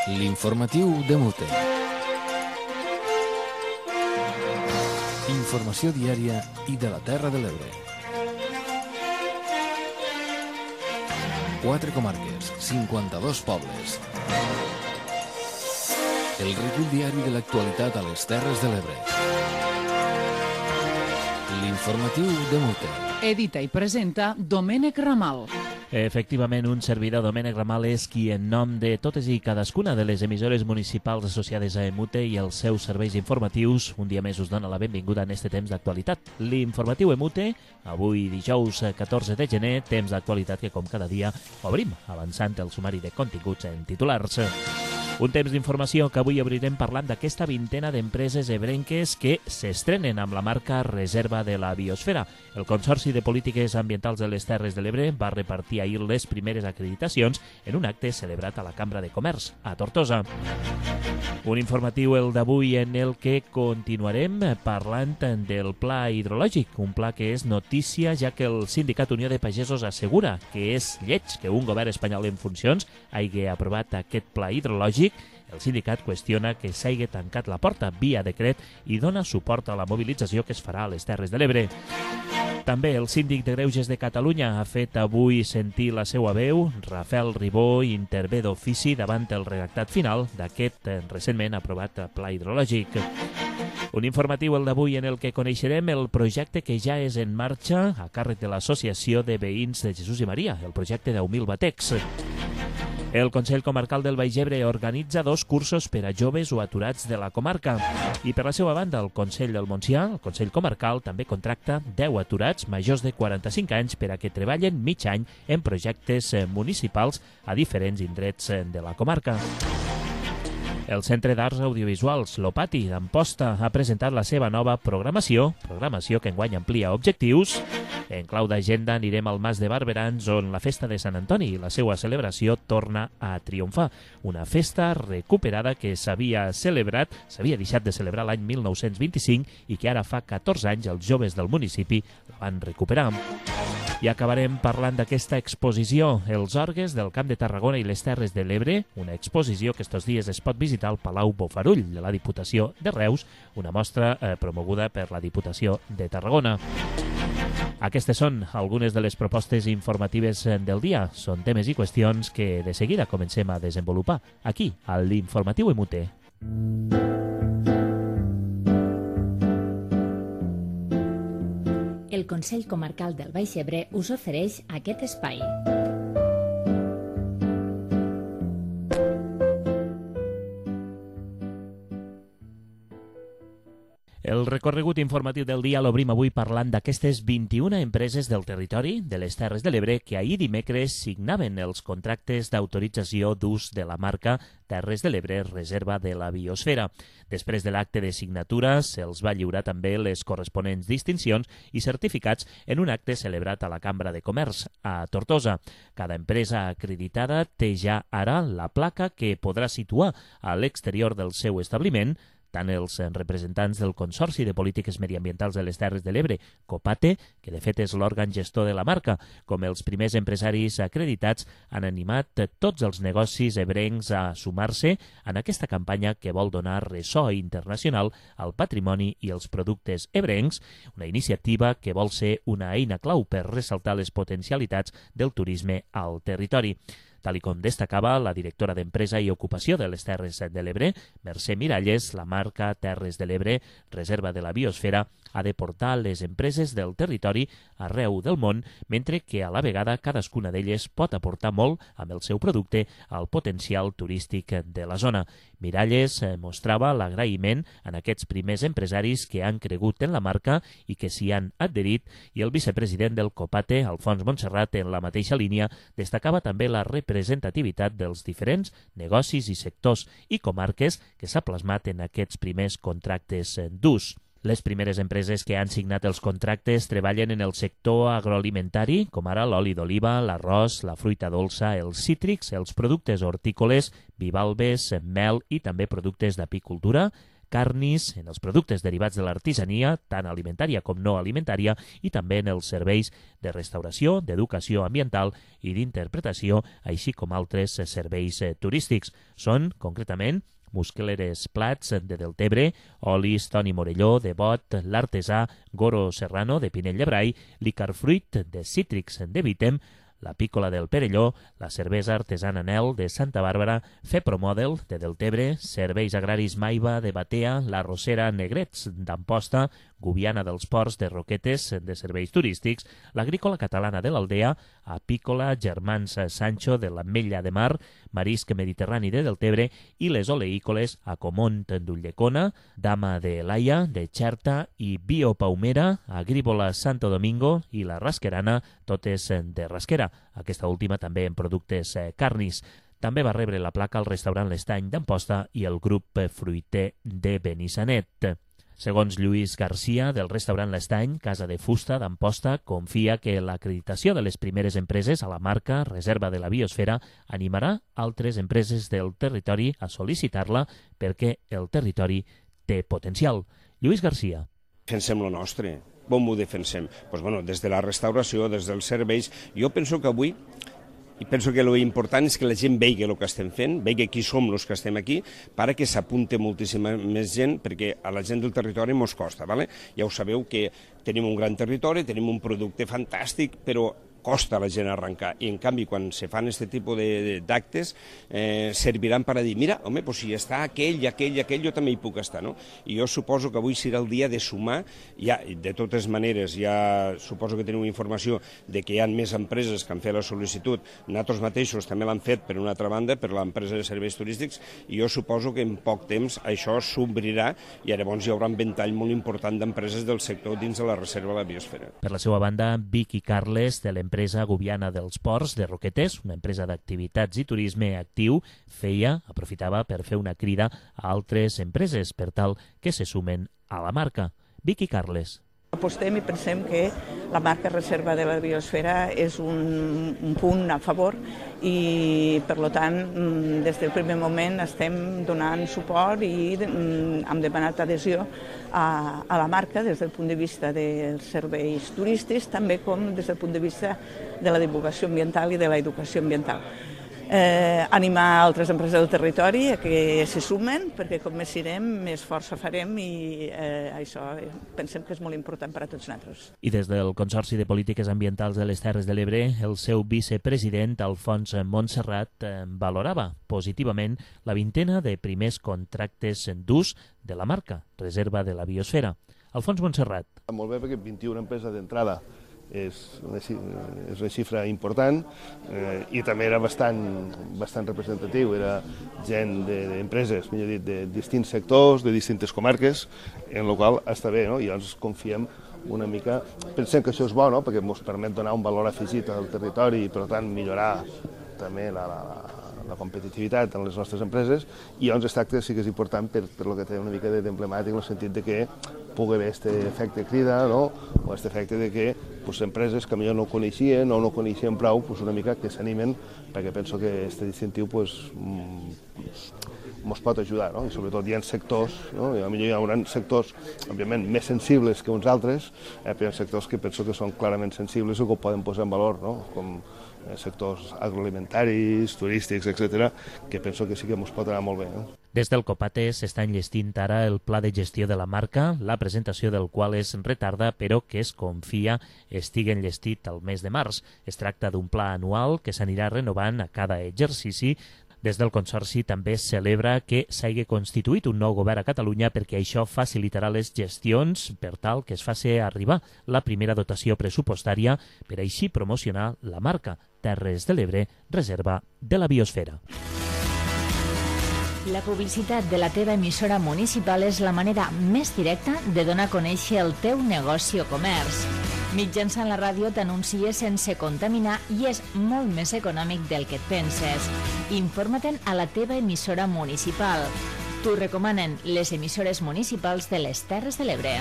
L'informatiu de Mute. Informació diària i de la Terra de l'Ebre. 4 comarques, 52 pobles. El recull diari de l'actualitat a les Terres de l'Ebre. L'informatiu de Mute. Edita i presenta Domènec Ramal. Efectivament, un servidor, Domènec Ramal, és qui, en nom de totes i cadascuna de les emissores municipals associades a EMUTE i els seus serveis informatius, un dia més us dona la benvinguda en este temps d'actualitat. L'informatiu EMUTE, avui dijous 14 de gener, temps d'actualitat que, com cada dia, obrim avançant el sumari de continguts en titulars. Un temps d'informació que avui obrirem parlant d'aquesta vintena d'empreses ebrenques que s'estrenen amb la marca Reserva de la Biosfera. El Consorci de Polítiques Ambientals de les Terres de l'Ebre va repartir ahir les primeres acreditacions en un acte celebrat a la Cambra de Comerç, a Tortosa. Un informatiu, el d'avui, en el que continuarem parlant del pla hidrològic, un pla que és notícia ja que el Sindicat Unió de Pagesos assegura que és lleig que un govern espanyol en funcions hagi aprovat aquest pla hidrològic. El sindicat qüestiona que s'hagi tancat la porta via decret i dona suport a la mobilització que es farà a les Terres de l'Ebre. També el síndic de Greuges de Catalunya ha fet avui sentir la seva veu. Rafael Ribó intervé d'ofici davant el redactat final d'aquest recentment aprovat pla hidrològic. Un informatiu, el d'avui, en el que coneixerem el projecte que ja és en marxa a càrrec de l'Associació de Veïns de Jesús i Maria, el projecte 10.000 batecs. El Consell Comarcal del Baix Ebre organitza 2 cursos per a joves o aturats de la comarca. I per la seva banda, el Consell del Montsià, el Consell Comarcal, també contracta 10 aturats majors de 45 anys per a que treballen mig any en projectes municipals a diferents indrets de la comarca. El Centre d'Arts Audiovisuals, l'Opati d'Amposta, ha presentat la seva nova programació que enguany amplia objectius. En clau d'agenda anirem al Mas de Barberans, on la festa de Sant Antoni i la seva celebració torna a triomfar. Una festa recuperada que s'havia deixat de celebrar l'any 1925 i que ara fa 14 anys els joves del municipi la van recuperar. I acabarem parlant d'aquesta exposició, Els Orgues del Camp de Tarragona i les Terres de l'Ebre, una exposició que estos dies es pot visitar al Palau Bofarull de la Diputació de Reus, una mostra promoguda per la Diputació de Tarragona. Aquestes són algunes de les propostes informatives del dia. Són temes i qüestions que de seguida comencem a desenvolupar aquí, a l'Informatiu EMUTE. El Consell Comarcal del Baix Ebre us ofereix aquest espai. El recorregut informatiu del dia l'obrim avui parlant d'aquestes 21 empreses del territori de les Terres de l'Ebre que ahir dimecres signaven els contractes d'autorització d'ús de la marca Terres de l'Ebre Reserva de la Biosfera. Després de l'acte de signatura se'ls va lliurar també les corresponents distincions i certificats en un acte celebrat a la Cambra de Comerç, a Tortosa. Cada empresa acreditada té ja ara la placa que podrà situar a l'exterior del seu establiment. Tant els representants del Consorci de Polítiques Mediambientals de les Terres de l'Ebre, COPATE, que de fet és l'òrgan gestor de la marca, com els primers empresaris acreditats, han animat tots els negocis ebrencs a sumar-se en aquesta campanya que vol donar ressò internacional al patrimoni i els productes ebrencs, una iniciativa que vol ser una eina clau per ressaltar les potencialitats del turisme al territori. Tal com destacava la directora d'Empresa i Ocupació de les Terres de l'Ebre, Mercè Miralles, la marca Terres de l'Ebre, Reserva de la Biosfera, ha de portar les empreses del territori arreu del món, mentre que a la vegada cadascuna d'elles pot aportar molt amb el seu producte al potencial turístic de la zona. Miralles mostrava l'agraïment en aquests primers empresaris que han cregut en la marca i que s'hi han adherit, i el vicepresident del COPATE, Alfons Montserrat, en la mateixa línia, destacava també la representativitat dels diferents negocis i sectors i comarques que s'ha plasmat en aquests primers contractes d'ús. Les primeres empreses que han signat els contractes treballen en el sector agroalimentari, com ara l'oli d'oliva, l'arròs, la fruita dolça, els cítrics, els productes hortícoles, bivalves, mel i també productes d'apicultura, carnis, en els productes derivats de l'artesania, tant alimentària com no alimentària, i també en els serveis de restauració, d'educació ambiental i d'interpretació, així com altres serveis turístics. Són, concretament, muscleres plats de Deltebre, olis Toni Morelló, de Bot, l'artesà Goro Serrano, de Pinell de Brai, l'Icarfruit de Cítrics de Vitem, la Pícola del Perelló, la cervesa artesana Nel de Santa Bàrbara, Fepromodel de Deltebre, serveis agraris Maiva de Batea, la Rosera Negrets d'Amposta, Gubiana dels Ports de Roquetes de serveis turístics, l'Agrícola Catalana de l'Aldea, Apícola Germans Sancho de l'Ametlla de Mar, Marisc Mediterrani de Deltebre i les oleícoles Acomont d'Ulldecona, Dama de Laia de Xerta i Biopaumera, Agrícola Santo Domingo i la Rasquerana, totes de Rasquera, aquesta última també en productes carnis. També va rebre la placa el restaurant L'Estany d'Amposta i el grup fruiter de Benissanet. Segons Lluís Garcia, del restaurant L'Estany, casa de fusta d'Amposta, confia que l'acreditació de les primeres empreses a la marca Reserva de la Biosfera animarà altres empreses del territori a sol·licitar-la perquè el territori té potencial. Lluís Garcia. Defensem lo nostre. Com ho defensem? Des de la restauració, des dels serveis. Jo penso que avui i penso que l'important és que la gent vegi el que estem fent, vegi qui som els que estem aquí, perquè s'apunte moltíssima més gent, perquè a la gent del territori mos costa. Ja ho sabeu que tenim un gran territori, tenim un producte fantàstic, però costa a la gent arrencar, i en canvi quan se fan aquest tipus d'actes serviran per a dir, mira, home, si està aquell, jo també hi puc estar, no? I jo suposo que avui serà el dia de sumar, de totes maneres, ja suposo que teniu informació de que hi ha més empreses que han fet la sol·licitud, nosaltres mateixos també l'han fet per una altra banda, per l'empresa de serveis turístics, i jo suposo que en poc temps això s'obrirà i llavors hi haurà un ventall molt important d'empreses del sector dins de la Reserva de la Biosfera. Per la seva banda, Vicky Carles, de l'empresa Gubiana dels Ports de Roquetes, una empresa d'activitats i turisme actiu, aprofitava per fer una crida a altres empreses per tal que se sumen a la marca. Vicky Carles. Apostem i pensem que la marca Reserva de la Biosfera és un punt a favor i, per tant, des del primer moment estem donant suport i hem demanat adhesió a la marca des del punt de vista dels serveis turístics, també com des del punt de vista de la divulgació ambiental i de l'educació ambiental. Animar altres empreses del territori a que s'hi sumen, perquè com més sirem, més força farem i això pensem que és molt important per a tots nosaltres. I des del Consorci de Polítiques Ambientals de les Terres de l'Ebre, el seu vicepresident, Alfons Montserrat, valorava positivament la vintena de primers contractes d'ús de la marca Reserva de la Biosfera. Alfons Montserrat. Molt bé, perquè 21 empreses d'entrada és una xifra important i també era bastant representatiu. Era gent d'empreses, millor dit, de distints sectors, de distintes comarques, en la qual està bé, no? I llavors confiem una mica, pensem que això és bo, no? Perquè ens permet donar un valor afegit al territori i, per tant, millorar també la competitivitat en les nostres empreses, i llavors aquest acte sí que és important per el que té una mica d'emblemàtic, en el sentit de que pugui haver aquest efecte crida, no? O aquest efecte de que empreses que millor no coneixien o no coneixien prou, una mica que s'animen, perquè penso que aquest distintiu ens pot ajudar, no? I sobretot hi ha sectors, no? I potser hi haurà sectors, òbviament, més sensibles que uns altres, però hi ha sectors que penso que són clarament sensibles o que ho poden posar en valor, no? Com sectors agroalimentaris, turístics, etc., que penso que sí que ens pot anar molt bé, no? Des del Copate s'està enllestint ara el pla de gestió de la marca, la presentació del qual es retarda, però que es confia estigui enllestit al mes de març. Es tracta d'un pla anual que s'anirà renovant a cada exercici. Des del Consorci també es celebra que s'hagi constituït un nou govern a Catalunya perquè això facilitarà les gestions per tal que es faci arribar la primera dotació pressupostària per així promocionar la marca Terres de l'Ebre, Reserva de la Biosfera. La publicitat de la teva emissora municipal és la manera més directa de donar a conèixer el teu negoci o comerç. Mitjançant la ràdio t'anuncies sense contaminar i és molt més econòmic del que et penses. Informa-te'n a la teva emissora municipal. T'ho recomanen les emissores municipals de les Terres de l'Ebre.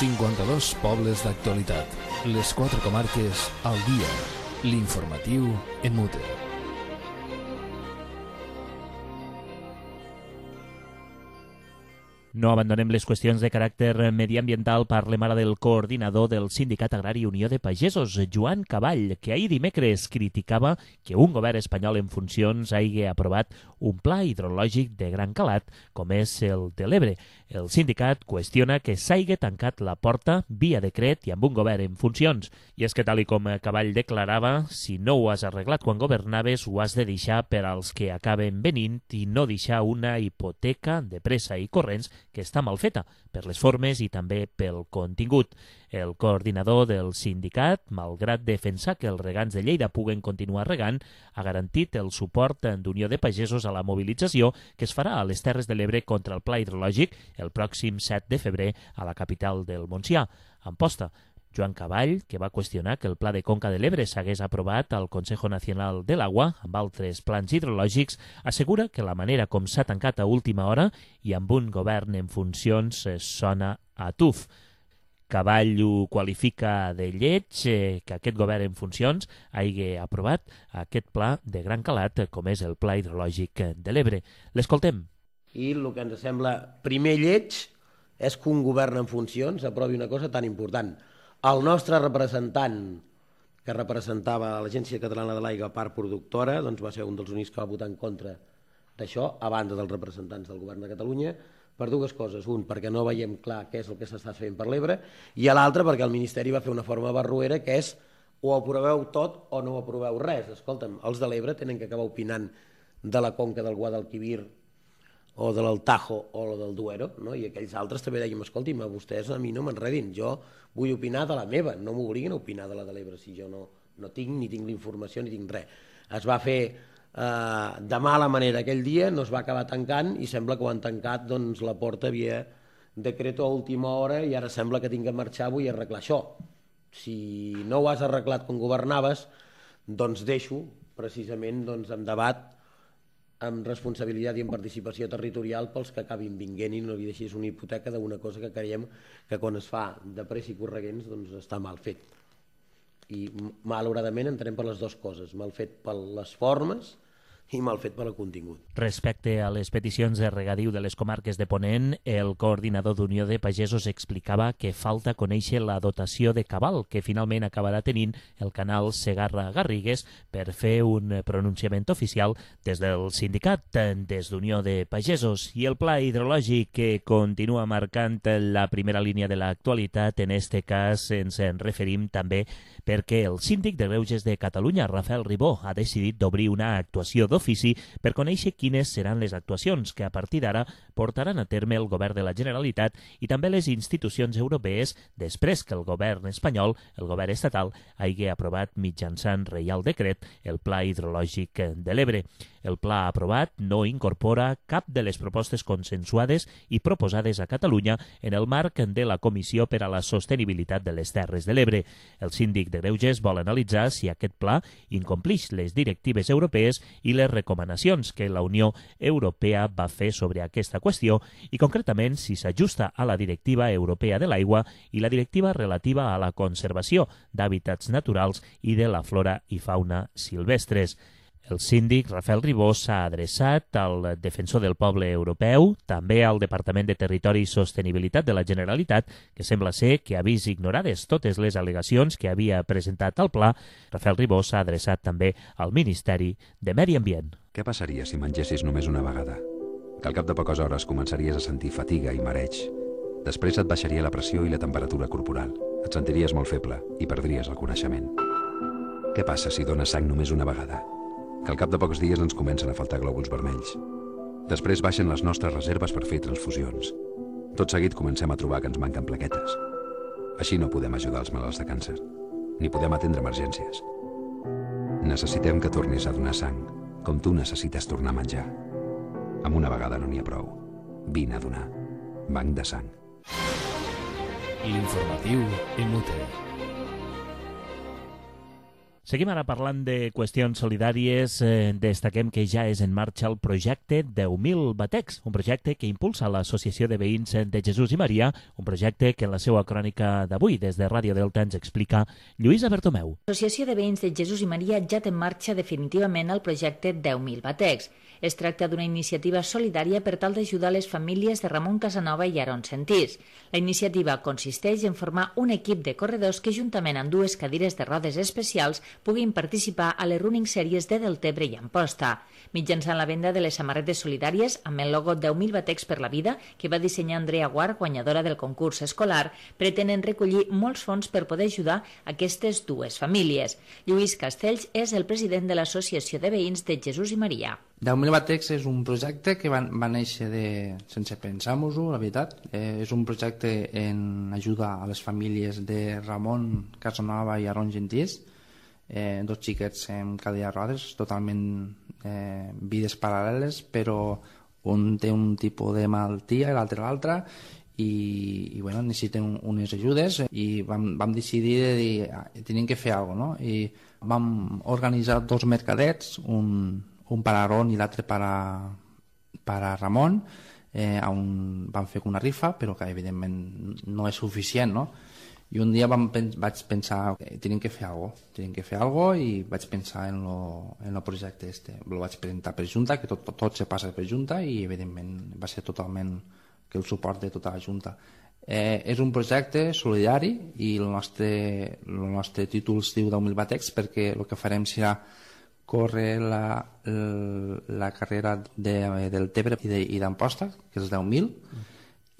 ...52 pobles d'actualitat. Les 4 comarques al dia. L'informatiu en Mute. No abandonem les qüestions de caràcter mediambiental. Parlem ara del coordinador del Sindicat Agrari Unió de Pagesos, Joan Caball, que ahir dimecres criticava que un govern espanyol en funcions hagi aprovat un pla hidrològic de gran calat, com és el de l'Ebre. El sindicat qüestiona que s'hagi tancat la porta via decret i amb un govern en funcions. I és que, tal com Caball declarava, si no ho has arreglat quan governaves, ho has de deixar per als que acaben venint i no deixar una hipoteca de pressa i corrents que està mal feta, per les formes i també pel contingut. El coordinador del sindicat, malgrat defensar que els regants de Lleida puguen continuar regant, ha garantit el suport d'Unió de Pagesos a la mobilització que es farà a les Terres de l'Ebre contra el pla hidrològic el pròxim 7 de febrer a la capital del Montsià, Amposta. Joan Caball, que va qüestionar que el Pla de Conca de l'Ebre s'hagués aprovat al Consejo Nacional de l'Agua amb altres plans hidrològics, assegura que la manera com s'ha tancat a última hora i amb un govern en funcions sona a tuf. Caball ho qualifica de lleig que aquest govern en funcions hagi aprovat aquest pla de gran calat com és el Pla hidrològic de l'Ebre. L'escoltem. I el que ens sembla primer lleig és que un govern en funcions aprovi una cosa tan important. El nostre representant, que representava l'Agència Catalana de l'Aigua, part productora, doncs va ser un dels únics que va votar en contra d'això, a banda dels representants del govern de Catalunya, per dues coses. Un, perquè no veiem clar què és el que s'està fent per l'Ebre, i l'altre, perquè el Ministeri va fer una forma barroera, que és o aproveu tot o no aproveu res. Escolta'm, els de l'Ebre tenen que acabar opinant de la conca del Guadalquivir o de l'Altajo o del Duero, no? I aquells altres també dèiem, escolti'm, vostès a mi no m'enredin, jo vull opinar de la meva, no m'obliguin a opinar de la de l'Ebre si jo no tinc ni tinc la informació ni tinc res. Es va fer de mala manera aquell dia, no es va acabar tancant i sembla que ho han tancat, doncs la porta havia decreto a última hora i ara sembla que tinc que marxar, vull arreglar això. Si no ho has arreglat quan governaves, doncs deixo precisament en debat amb responsabilitat i en participació territorial pels que acabin vinguent i no li deixis una hipoteca d'una cosa que creiem que quan es fa de pressa i correguents doncs està mal fet. I malauradament entenem per les dues coses, mal fet per les formes i mal fet per al contingut. Respecte a les peticions de regadiu de les comarques de Ponent, el coordinador d'Unió de Pagesos explicava que falta conèixer la dotació de cabal que finalment acabarà tenint el canal Segarra-Garrigues per fer un pronunciament oficial des del sindicat, des d'Unió de Pagesos. I el pla hidrològic que continua marcant la primera línia de l'actualitat, en este cas ens en referim també perquè el síndic de Greuges de Catalunya, Rafael Ribó, ha decidit d'obrir una actuació d'ofici per conèixer quines seran les actuacions que a partir d'ara portaran a terme el govern de la Generalitat i també les institucions europees després que el govern espanyol, el govern estatal, hagi aprovat mitjançant reial decret el Pla hidrològic de l'Ebre. El pla aprovat no incorpora cap de les propostes consensuades i proposades a Catalunya en el marc de la Comissió per a la Sostenibilitat de les Terres de l'Ebre. El síndic de Greuges vol analitzar si aquest pla incomplix les directives europees i les recomanacions que la Unió Europea va fer sobre aquesta qüestió i concretament si s'ajusta a la Directiva Europea de l'Aigua i la Directiva relativa a la conservació d'hàbitats naturals i de la flora i fauna silvestres. El síndic Rafael Ribó s'ha adreçat al Defensor del Poble Europeu, també al Departament de Territori i Sostenibilitat de la Generalitat, que sembla ser que ha vist ignorades totes les al·legacions que havia presentat al pla. Rafael Ribó s'ha adreçat també al Ministeri de Medi Ambient. Què passaria si mengessis només una vegada? Que al cap de poques hores començaries a sentir fatiga i mareig. Després et baixaria la pressió i la temperatura corporal. Et sentiries molt feble i perdries el coneixement. Què passa si dones sang només una vegada? Que al cap de pocs dies ens comencen a faltar glòbuls vermells. Després baixen les nostres reserves per fer transfusions. Tot seguit comencem a trobar que ens manquen plaquetes. Així no podem ajudar els malalts de càncer, ni podem atendre emergències. Necessitem que tornis a donar sang, com tu necessites tornar a menjar. Amb una vegada no n'hi ha prou. Vine a donar. Banc de sang. L'informatiu Inútil. Seguim ara parlant de qüestions solidàries. Destaquem que ja és en marxa el projecte 10.000 batecs, un projecte que impulsa l'Associació de Veïns de Jesús i Maria, un projecte que en la seva crònica d'avui des de Ràdio Delta ens explica Lluïsa Bertomeu. L'Associació de Veïns de Jesús i Maria ja té en marxa definitivament el projecte 10.000 batecs. Es tracta d'una iniciativa solidària per tal d'ajudar les famílies de Ramon Casanova i Aaron Sentís. La iniciativa consisteix en formar un equip de corredors que, juntament amb 2 cadires de rodes especials, puguin participar a les running series de Deltebre i Amposta. Mitjançant la venda de les samarretes solidàries amb el logo 10.000 batecs per la vida, que va dissenyar Andrea Guard, guanyadora del concurs escolar, pretenen recollir molts fons per poder ajudar aquestes 2 famílies. Lluís Castells és el president de l'Associació de Veïns de Jesús i Maria. 10.000 batecs és un projecte que va néixer sense pensar-nos-ho, la veritat. És un projecte en ajuda a les famílies de Ramon Casanova i Aaron Sentís, 2 xiquets amb cadira de rodes, totalment vides paral·leles, però un té un tipus de malaltia i l'altre, i bueno, necessiten unes ajudes, i vam decidir de dir, tenim que fer alguna cosa, no? I vam organitzar 2 mercadets, un per a Aaron i l'altre per a Ramon, on vam fer una rifa, però que evidentment no és suficient, no? I un dia vaig pensar, tenim que fer alguna cosa, i vaig pensar en el projecte este. Lo vaig presentar per Junta, que tot se passa per Junta, i evidentment va ser totalment que el suport de tota la Junta. És un projecte solidari, i el nostre títol es diu 10.000 batecs, perquè el que farem serà córrer la carrera del Tebre i d'Amposta, que és 10.000,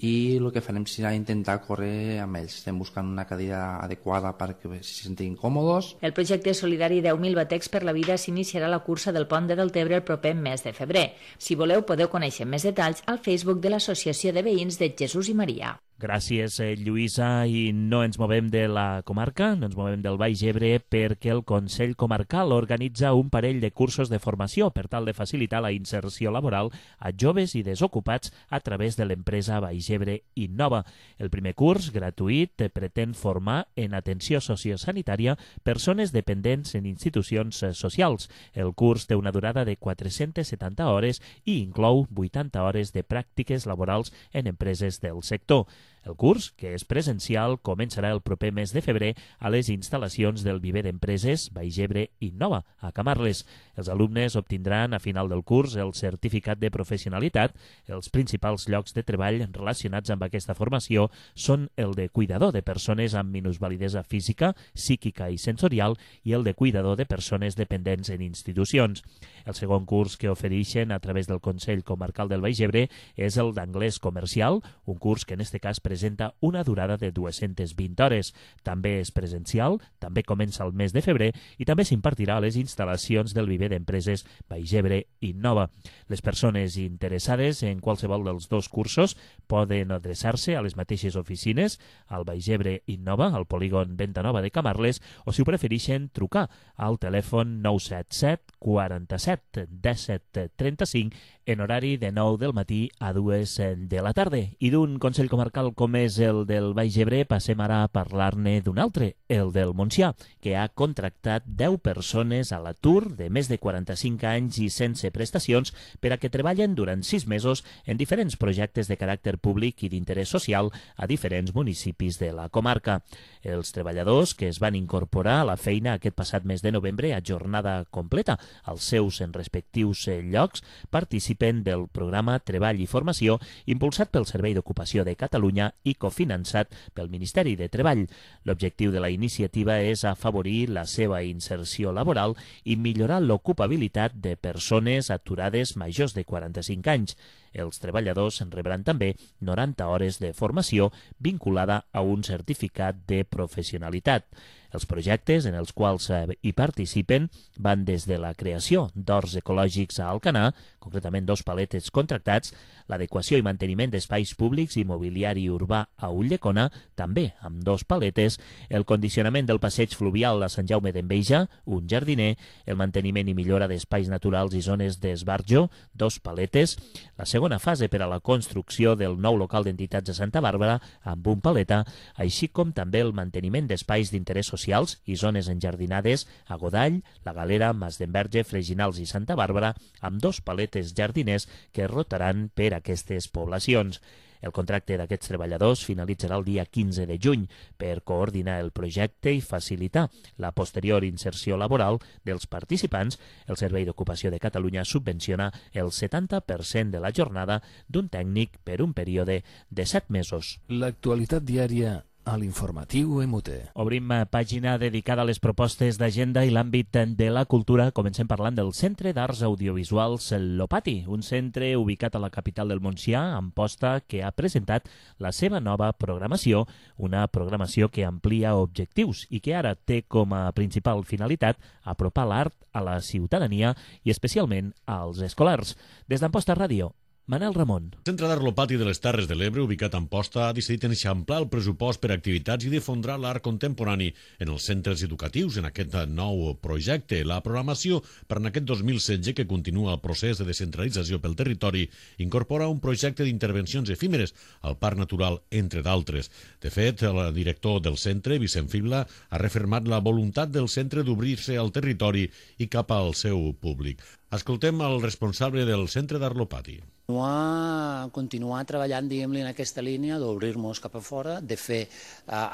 i el que farem serà intentar córrer amb ells. Estem buscant una cadira adequada perquè se sentin còmodes. El projecte solidari 10.000 batecs per la vida s'iniciarà a la cursa del Pont de Deltebre el proper mes de febrer. Si voleu, podeu conèixer més detalls al Facebook de l'Associació de Veïns de Jesús i Maria. Gràcies, Lluïsa, i no ens movem de la comarca, no ens movem del Baix Ebre, perquè el Consell Comarcal organitza un parell de cursos de formació per tal de facilitar la inserció laboral a joves i desocupats a través de l'empresa Baix Ebre Innova. El primer curs, gratuït, pretén formar en atenció sociosanitària persones dependents en institucions socials. El curs té una durada de 470 hores i inclou 80 hores de pràctiques laborals en empreses del sector. El curs, que és presencial, començarà el proper mes de febrer a les instal·lacions del viver d'empreses Baix Ebre Innova, a Camarles. Els alumnes obtindran a final del curs el certificat de professionalitat. Els principals llocs de treball relacionats amb aquesta formació són el de cuidador de persones amb minusvalidesa física, psíquica i sensorial i el de cuidador de persones dependents en institucions. El segon curs que ofereixen a través del Consell Comarcal del Baix Ebre és el d'anglès comercial, un curs que en aquest cas presenta una durada de 220 hores. També és presencial, també comença el mes de febrer i també s'impartirà a les instal·lacions del viver d'empreses Baix Ebre Innova. Les persones interessades en qualsevol dels 2 cursos poden adreçar-se a les mateixes oficines, al Baix Ebre Innova, al polígon Venta Nova de Camarles, o si ho prefereixen trucar al telèfon 977 47 17 35 en horari de 9 del matí a 2 de la tarda. I d'un Consell Comarcal com és el del Baix Ebre passem ara a parlar-ne d'un altre, el del Montsià, que ha contractat 10 persones a l'atur de més de 45 anys i sense prestacions per a que treballen durant 6 mesos en diferents projectes de caràcter públic i d'interès social a diferents municipis de la comarca. Els treballadors que es van incorporar a la feina aquest passat mes de novembre a jornada completa als seus respectius llocs participen del programa Treball i Formació impulsat pel Servei d'Ocupació de Catalunya i cofinançat pel Ministeri de Treball. L'objectiu de la iniciativa és afavorir la seva inserció laboral i millorar l'ocupabilitat de persones aturades majors de 45 anys. Els treballadors rebran també 90 hores de formació vinculada a un certificat de professionalitat. Els projectes en els quals hi participen van des de la creació d'horts ecològics a Alcanar, concretament 2 paletes contractats, l'adequació i manteniment d'espais públics i mobiliari urbà a Ulldecona, també amb 2 paletes, el condicionament del passeig fluvial a Sant Jaume d'Enveja, un jardiner, el manteniment i millora d'espais naturals i zones d'esbarjo, 2 paletes, la segona fase per a la construcció del nou local d'entitats a Santa Bàrbara, amb un paleta, així com també el manteniment d'espais d'interès social socials i zones enjardinades a Godall, La Galera, Mas d'Enverge, Freginals i Santa Bàrbara, amb 2 paletes jardiners que rotaran per aquestes poblacions. El contracte d'aquests treballadors finalitzarà el dia 15 de juny per coordinar el projecte i facilitar la posterior inserció laboral dels participants. El Servei d'Ocupació de Catalunya subvenciona el 70% de la jornada d'un tècnic per un període de 7 mesos. L'actualitat diària a l'informatiu MUT. Obrim pàgina dedicada a les propostes d'agenda i l'àmbit de la cultura. Comencem parlant del Centre d'Arts Audiovisuals Lopati, un centre ubicat a la capital del Montsià, Amposta, que ha presentat la seva nova programació, una programació que amplia objectius i que ara té com a principal finalitat apropar l'art a la ciutadania i especialment als escolars. Des d'Amposta Ràdio, Manel Ramon. El Centre d'Art Lopati de les Terres de l'Ebre, ubicat a Amposta, ha decidit enxamplar el pressupost per activitats i difondre l'art contemporani en els centres educatius en aquest nou projecte. La programació per en aquest 2016, que continua el procés de descentralització pel territori, incorpora un projecte d'intervencions efímeres al Parc Natural, entre d'altres. De fet, el director del centre, Vicent Fibla, ha refermat la voluntat del centre d'obrir-se al territori i cap al seu públic. Escoltem el responsable del Centre d'Art Lopati. Continuar treballant, diguem-li, en aquesta línia d'obrir-nos cap a fora, de fer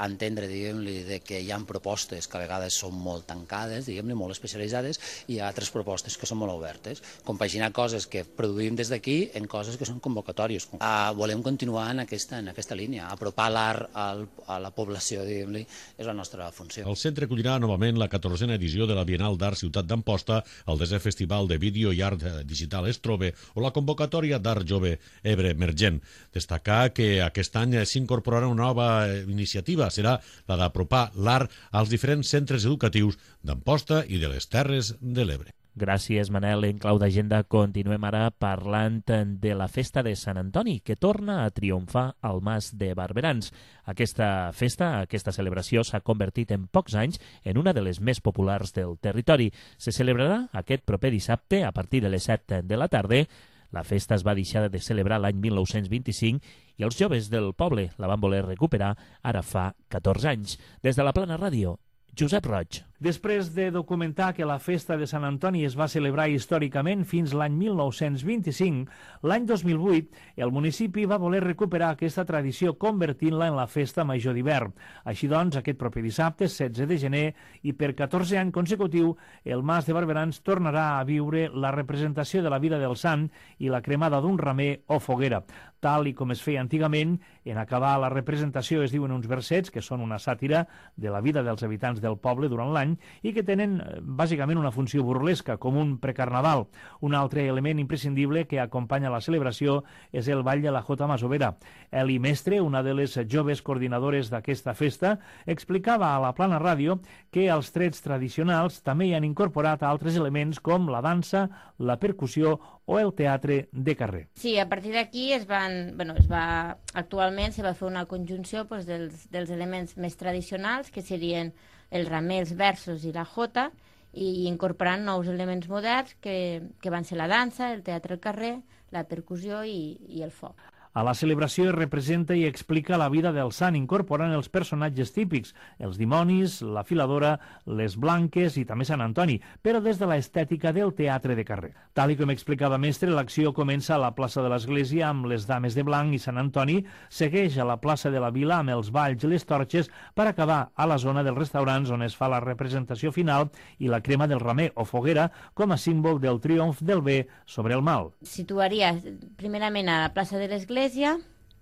entendre, diguem-li, que hi ha propostes que a vegades són molt tancades, diguem-li, molt especialitzades, i hi ha altres propostes que són molt obertes. Compaginar coses que produïm des d'aquí en coses que són convocatòries. Volem continuar en aquesta línia, apropar l'art a la població, diguem-li, és la nostra funció. El centre acollirà novament la 14a edició de la Bienal d'Art Ciutat d'Amposta, el 10è Festival de Vídeo i Art Digital Estrobe o la convocatòria d'Art Jove Ebre Emergent. Destacar que aquest any s'incorporarà una nova iniciativa, serà la d'apropar l'art als diferents centres educatius d'Amposta i de les Terres de l'Ebre. Gràcies, Manel. En clau d'agenda continuem ara parlant de la festa de Sant Antoni, que torna a triomfar al Mas de Barberans. Aquesta festa, aquesta celebració, s'ha convertit en pocs anys en una de les més populars del territori. Se celebrarà aquest proper dissabte a partir de les 7 de la tarda. La festa es va deixar de celebrar l'any 1925 i els joves del poble la van voler recuperar ara fa 14 anys. Des de la Plana Ràdio, Josep Roig. Després de documentar que la festa de Sant Antoni es va celebrar històricament fins l'any 1925, l'any 2008 el municipi va voler recuperar aquesta tradició convertint-la en la festa major d'hivern. Així doncs, aquest proper dissabte, 16 de gener, i per 14 anys consecutiu, el Mas de Barberans tornarà a viure la representació de la vida del sant i la cremada d'un ramer o foguera. Tal i com es feia antigament, en acabar la representació es diuen uns versets que són una sàtira de la vida dels habitants del poble durant l'any i que tenen bàsicament una funció burlesca, com un precarnaval. Un altre element imprescindible que acompanya la celebració és el ball de la Jota Masovera. Eli Mestre, una de les joves coordinadores d'aquesta festa, explicava a la Plana Ràdio que als trets tradicionals també hi han incorporat altres elements com la dansa, la percussió o el teatre de carrer. Sí, a partir d'aquí actualment se va fer una conjunció dels elements més tradicionals, que serien el ramer, els versos i la jota, i incorporant nous elements moderns que van ser la dansa, el teatre al carrer, la percussió i el foc. A la celebració es representa i explica la vida del sant, incorporant els personatges típics, els dimonis, la filadora, les blanques i també Sant Antoni, però des de l'estètica del teatre de carrer. Tal com explicava Mestre, l'acció comença a la plaça de l'Església amb les Dames de Blanc i Sant Antoni, segueix a la plaça de la Vila amb els balls i les torxes per acabar a la zona dels restaurants on es fa la representació final i la crema del ramer o foguera com a símbol del triomf del bé sobre el mal. Situaria primerament a la plaça de l'Església,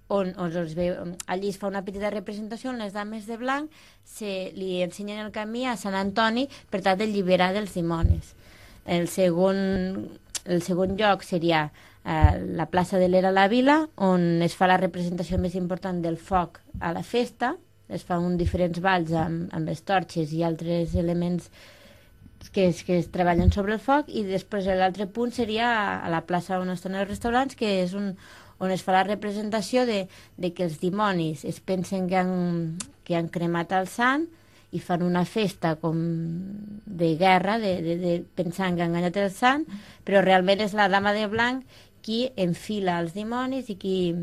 on allí es fa una petita representació on les Dames de Blanc li ensenyen el camí a Sant Antoni per tal d'alliberar dels dimonis. El segon lloc seria la plaça de l'Era a la Vila, on es fa la representació més important del foc a la festa. Es fan diferents balls amb les torxes i altres elements que es treballen sobre el foc, i després l'altre punt seria a la plaça on estan els restaurants, que és on es fa la representació de que els dimonis es pensen que han cremat el sant i fan una festa com de guerra, pensant que han enganyat el sant, però realment és la Dama de Blanc qui enfila els dimonis i qui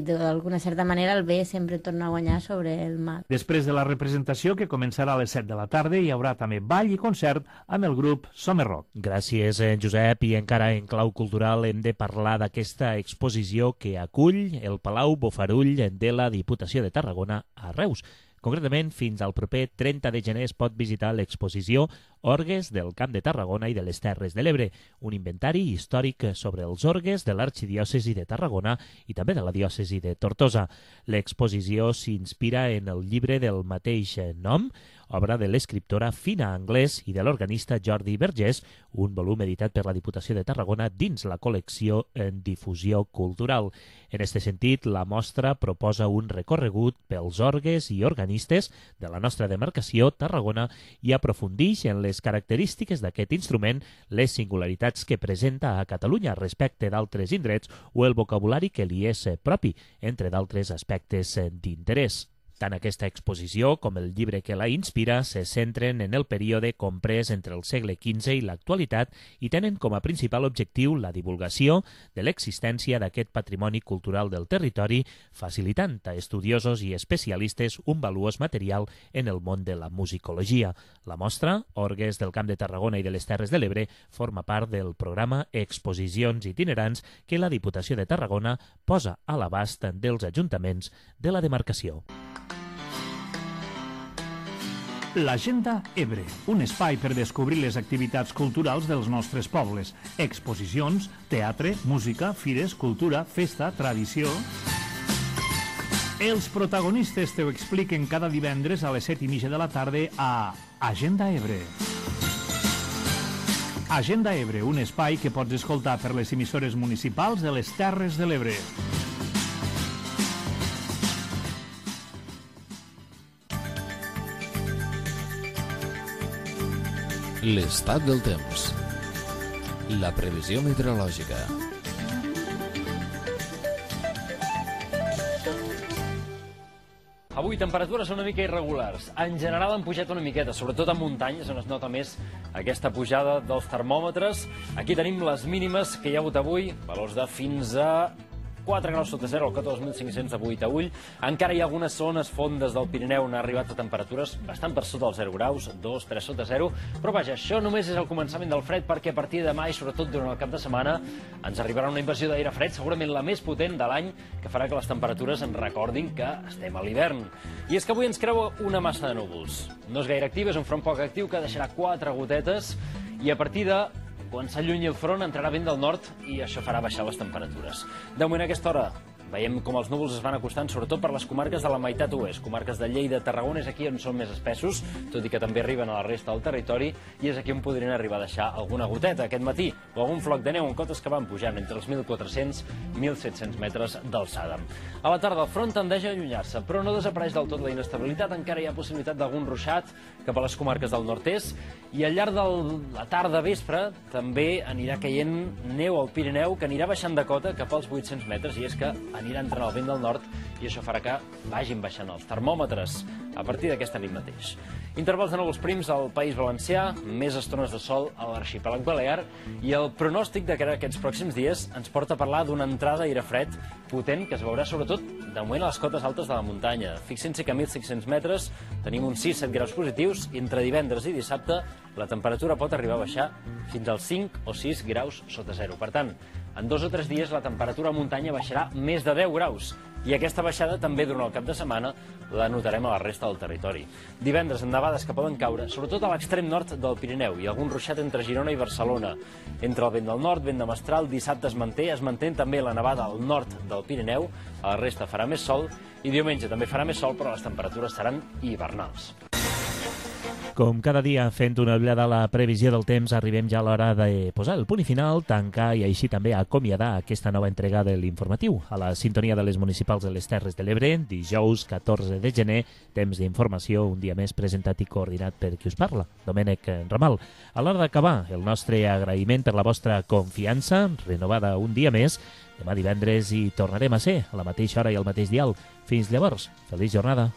d'alguna certa manera el bé sempre torna a guanyar sobre el mal. Després de la representació, que començarà a les 7 de la tarda, hi haurà també ball i concert amb el grup Somer Rock. Gràcies, Josep. I encara en clau cultural hem de parlar d'aquesta exposició que acull el Palau Bofarull de la Diputació de Tarragona a Reus. Concretament, fins al proper 30 de gener es pot visitar l'exposició Orgues del Camp de Tarragona i de les Terres de l'Ebre, un inventari històric sobre els orgues de l'arxidiòcesi de Tarragona i també de la diòcesi de Tortosa. L'exposició s'inspira en el llibre del mateix nom, obra de l'escriptora Fina Anglès i de l'organista Jordi Vergés, un volum editat per la Diputació de Tarragona dins la col·lecció en difusió cultural. En aquest sentit, la mostra proposa un recorregut pels orgues i organistes de la nostra demarcació, Tarragona, i aprofundix en les característiques d'aquest instrument, les singularitats que presenta a Catalunya respecte d'altres indrets o el vocabulari que li és propi, entre d'altres aspectes d'interès. Tant aquesta exposició com el llibre que la inspira se centren en el període comprès entre el segle XV i l'actualitat i tenen com a principal objectiu la divulgació de l'existència d'aquest patrimoni cultural del territori, facilitant a estudiosos i especialistes un valuós material en el món de la musicologia. La mostra, Orgues del Camp de Tarragona i de les Terres de l'Ebre, forma part del programa Exposicions itinerants que la Diputació de Tarragona posa a l'abast dels ajuntaments de la demarcació. L'Agenda Ebre, un espai per descobrir les activitats culturals dels nostres pobles. Exposicions, teatre, música, fires, cultura, festa, tradició... Els protagonistes t'ho expliquen cada divendres a les 7:30 de la tarda a Agenda Ebre. Agenda Ebre, un espai que pots escoltar per les emissores municipals de les Terres de l'Ebre. L'estat del temps. La previsió meteorològica. Avui temperatures una mica irregulars. En general han pujat una miqueta, sobretot a muntanyes on es nota més aquesta pujada dels termòmetres. Aquí tenim les mínimes que hi ha hagut avui, valors de fins a 4 graus sota 0, el 14.500 de Buitaüll. Encara hi ha algunes zones fondes del Pirineu on ha arribat a temperatures bastant per sota dels 0 graus, 2, 3 sota 0. Però vaja, això només és el començament del fred, perquè a partir de demà i sobretot durant el cap de setmana ens arribarà una invasió d'aire fred, segurament la més potent de l'any, que farà que les temperatures ens recordin que estem a l'hivern. I és que avui ens creua una massa de núvols. No és gaire activa, és un front poc actiu que deixarà 4 gotetes i a partir de quan s'allunyi el front entrarà vent del nord i això farà baixar les temperatures. De moment a aquesta hora veiem com els núvols es van acostant, sobretot per les comarques de la meitat oest. Comarques de Lleida, Tarragona, és aquí on són més espessos, tot i que també arriben a la resta del territori, i és aquí on podrien arribar a deixar alguna goteta aquest matí, o algun floc de neu en cotes que van pujant entre els 1.400 i 1.700 metres d'alçada. A la tarda el front tendeix a allunyar-se, però no desapareix del tot la inestabilitat, encara hi ha possibilitat d'algun ruixat cap a les comarques del nord-est, i al llarg de la tarda vespre també anirà caient neu al Pirineu, que anirà baixant de cota cap als 800 metres, i és que anirà entrant el vent del nord i això farà que vagin baixant els termòmetres a partir d'aquesta nit mateix. Intervals de núvols prims al País Valencià, més estones de sol a l'arxipèlag balear i el pronòstic de cara a aquests pròxims dies ens porta a parlar d'una entrada d'aire fred potent que es veurà sobretot de moment a les cotes altes de la muntanya. Fixin-se que a 1.500 metres tenim uns 6-7 graus positius i entre divendres i dissabte la temperatura pot arribar a baixar fins als 5 o 6 graus sota 0. Per tant, en 2 o 3 dies la temperatura a muntanya baixarà més de 10 graus i aquesta baixada també durant el cap de setmana la notarem a la resta del territori. Divendres amb nevades que poden caure, sobretot a l'extrem nord del Pirineu i algun ruixat entre Girona i Barcelona. Entre el vent del nord, vent de mestral, dissabte es manté també la nevada al nord del Pirineu, a la resta farà més sol i diumenge també farà més sol, però les temperatures seran hivernals. Com cada dia, fent una ullada a la previsió del temps, arribem ja a l'hora de posar el punt i final, tancar i així també acomiadar aquesta nova entrega de l'informatiu. A la sintonia de les municipals de les Terres de l'Ebre, dijous 14 de gener, temps d'informació, un dia més presentat i coordinat per qui us parla, Domènec Ramal. A l'hora d'acabar, el nostre agraïment per la vostra confiança, renovada un dia més. Demà divendres hi tornarem a ser, a la mateixa hora i al mateix dial. Fins llavors, feliç jornada.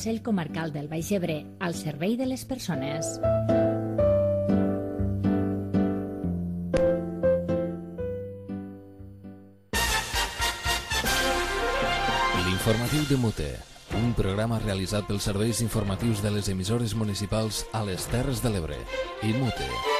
Consell Comarcal del Baix Ebre, al servei de les persones. L'informatiu de Mute, un programa realitzat pels serveis informatius de les emissores municipals a les Terres de l'Ebre i Mute.